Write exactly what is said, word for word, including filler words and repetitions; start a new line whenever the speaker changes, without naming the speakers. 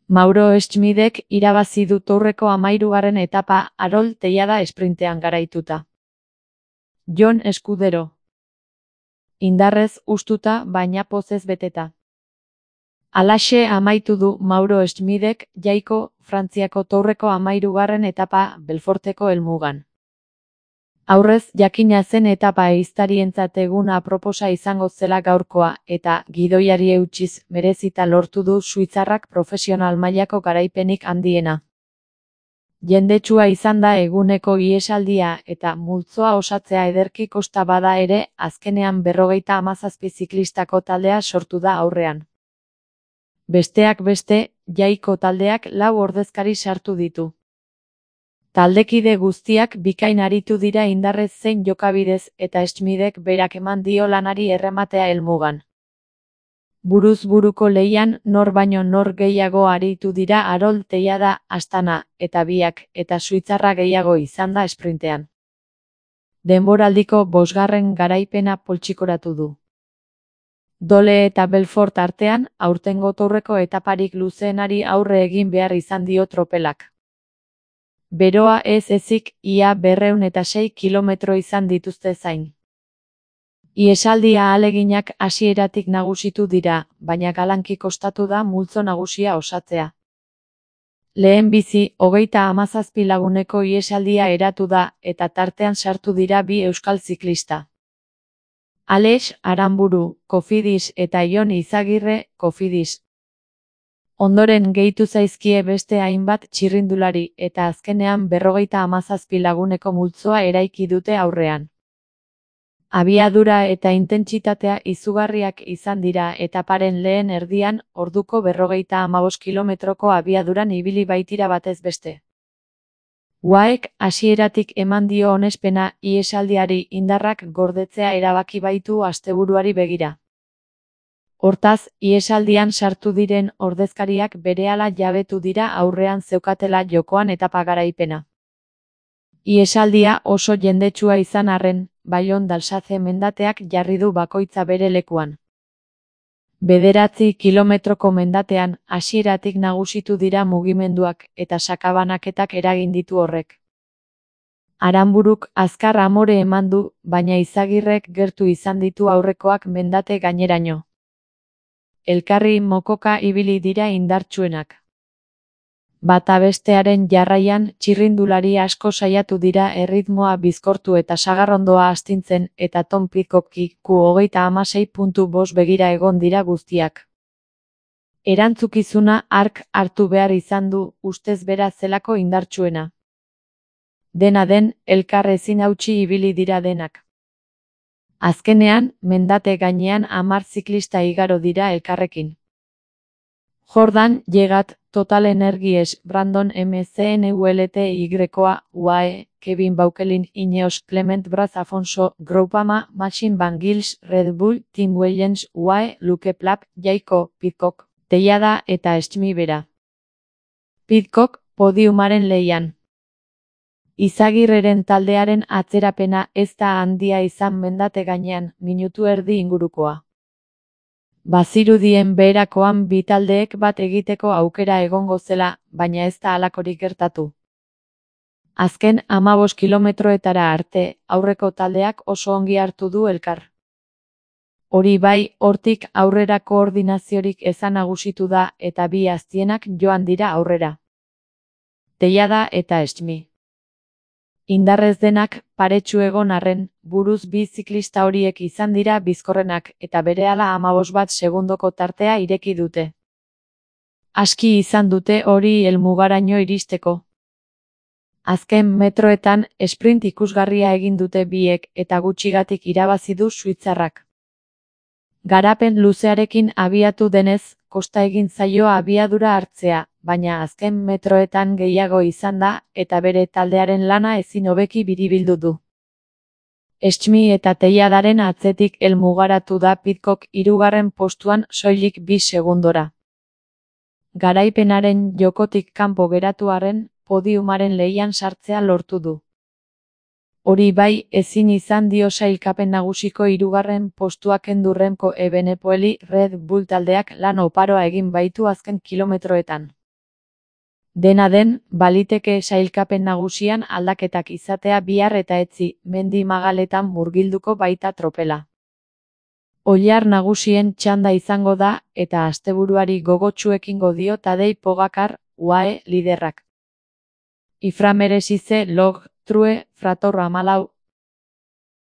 Mauro Schmidek irabazi du tourreko hamahirugarren etapa Arol Tellada esprintean garaituta. Jon Escudero. Indarrez hustuta baina pozez beteta. Halaxe amaitu du Mauro Schmidek jaiko Frantziako tourreko hamahirugarren etapa Belforteko helmugan. Aurrez jakina zen etapa ehiztarientzat egun aproposa izango zela gaurkoa eta gidoiari eutsiz merezita lortu du suitzarrak profesional mailako garaipenik handiena. Jendetsua izan da eguneko ihesaldia eta multzoa osatzea ederki kosta bada ere azkenean berrogeita hamazazpi ziklistako taldea sortu da aurrean. Besteak beste, jaiko taldeak lau ordezkari sartu ditu. Taldekide guztiak bikain aritu dira indarrez zein jokabidez eta Schmidek berak eman dio lanari errematea helmugan. Buruz buruko lehian nor baino nor gehiago aritu dira Arol Tellada, Astana eta biak eta suitzarra gehiago izan da esprintean. Denboraldiko bosgarren garaipena poltsikoratu du. Dole eta Belfort artean aurtengo tourreko etaparik luzeenari aurre egin behar izan dio tropelak. Beroa ez ezik ia berrehun eta sei kilometro izan dituzte zain. Ihesaldia ahaleginak hasieratik nagusitu dira, baina galanki kostatu da multzo nagusia osatzea. Lehen bizi, hogeita hamazazpi laguneko ihesaldia eratu da eta tartean sartu dira bi euskal ziklista. Aleix Aranburu, Cofidis eta Jon Izagirre, Cofidis. Ondoren gehitu zaizkie beste hainbat txirrindulari eta azkenean berrogeita hamazazpi laguneko multzoa eraiki dute aurrean. Abiadura eta intentsitatea izugarriak izan dira etaparen lehen erdian orduko berrogeita hamabost kilometroko abiaduran ibili baitira batez beste. U A Ek hasieratik eman dio onespena ihesaldiari indarrak gordetzea erabaki baitu asteburuari begira. Hortaz, ihesaldian sartu diren ordezkariak berehala jabetu dira aurrean zeukatela jokoan etapa garaipena. Ihesaldia oso jendetsua izan arren, Baillon d'Alsace mendateak jarri du bakoitza bere lekuan. Bederatzi kilometroko mendatean hasieratik nagusitu dira mugimenduak eta sakabanaketak eragin ditu horrek. Aranburuk azkar amore eman du, baina Izagirrek gertu izan ditu aurrekoak mendate gaineraino. Elkarri mokoka ibili dira indartsuenak. Bata bestearen jarraian txirrindulari asko saiatu dira erritmoa bizkortu eta sagarrondoa astintzen eta Tom Pidcocki Q hogeita hamasei puntu bost begira egon dira guztiak. Erantzukizuna hark hartu behar izan du ustez bera zelako indartsuena. Dena den, elkar ezin hautsi ibili dira denak. Azkenean, mendate gainean hamar ziklista igaro dira elkarrekin. Jordan Llegat, Total Energies, Brandon M C N U L T Y-koa, U A E, Kevin Baukelin, Ineos, Clement Braz Afonso, Groupama, Machine Van Gils, Red Bull, Team Wayens, U A E, Luke Plap, Jaiko, Pidcock, Tellada eta Schmi bera. Pidcock, podiumaren lehian. Izagirreren taldearen atzerapena ez da handia izan mendate gainean, minutu erdi ingurukoa. Bazirudien beherakoan bi taldeek bat egiteko aukera egongo zela, baina ez da halakorik gertatu. Azken hamabost kilometroetara arte, aurreko taldeak oso ongi hartu du elkar. Hori bai, hortik aurrera koordinaziorik ezan nagusitu da eta bi aztienak joan dira aurrera. Tellada eta Schmi. Indarrez denak, paretsu egon arren, buruz bi ziklista horiek izan dira bizkorrenak eta berehala hamabost bat segundoko tartea ireki dute. Aski izan dute hori helmugaraino iristeko. Azken metroetan sprint ikusgarria egin dute biek eta gutxigatik irabazi du suitzarrak. Garapen luzearekin abiatu denez, kosta egin zaio abiadura hartzea, baina azken metroetan gehiago izan da eta bere taldearen lana ezin hobeki biribildu du. Schmi eta Telladaren atzetik helmugaratu da Pidcock hirugarren postuan soilik bi segundora. Garaipenaren jokotik kanpo geratu arren, podiumaren lehian sartzea lortu du. Hori bai, ezin izan dio sailkapen nagusiko hirugarren postua kendu Remco Evenepoeli Red Bull taldeak lan oparoa egin baitu azken kilometroetan. Dena den, baliteke sailkapen nagusian aldaketak izatea bihar eta etzi mendi magaletan murgilduko baita tropela. Oilar nagusien txanda izango da eta asteburuari gogotsu ekingo dio Tadej Pogačar, U A E liderrak. Ifra merezi ze log, true, frator hamalau,